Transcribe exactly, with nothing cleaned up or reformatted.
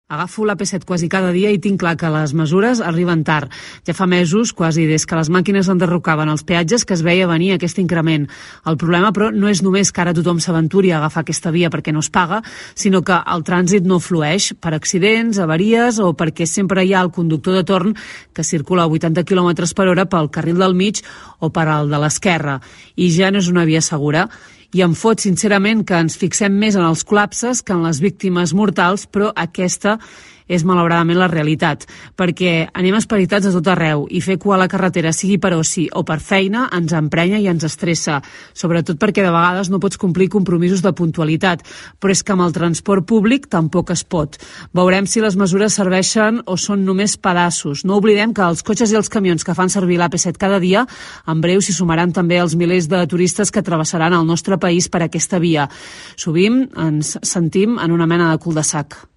Agafo l'A P set quasi cada dia i tinc clar que les mesures arriben tard. Ja fa mesos, quasi des que les màquines enderrocaven els peatges, que es veia venir aquest increment. El problema, però, no és només que ara tothom s'aventuri a agafar aquesta via perquè no es paga, sinó que el trànsit no flueix per accidents, avaries o perquè sempre hi ha el conductor de torn que circula a vuitanta quilòmetres per hora pel carril del mig o per al de l'esquerra. I ja no és una via segura. I em fot, sincerament, que ens fixem més en els col·lapses que en les víctimes mortals, però aquesta és malauradament la realitat, perquè anem esperitats a tot arreu i fer cua a la carretera, sigui per oci o per feina, ens emprenya i ens estressa, sobretot perquè de vegades no pots complir compromisos de puntualitat, però és que amb el transport públic tampoc es pot. Veurem si les mesures serveixen o són només pedaços. No oblidem que els cotxes i els camions que fan servir l'A P set cada dia, en breu s'hi sumaran també els milers de turistes que travessaran el nostre país per aquesta via. Sovint ens sentim en una mena de cul-de-sac.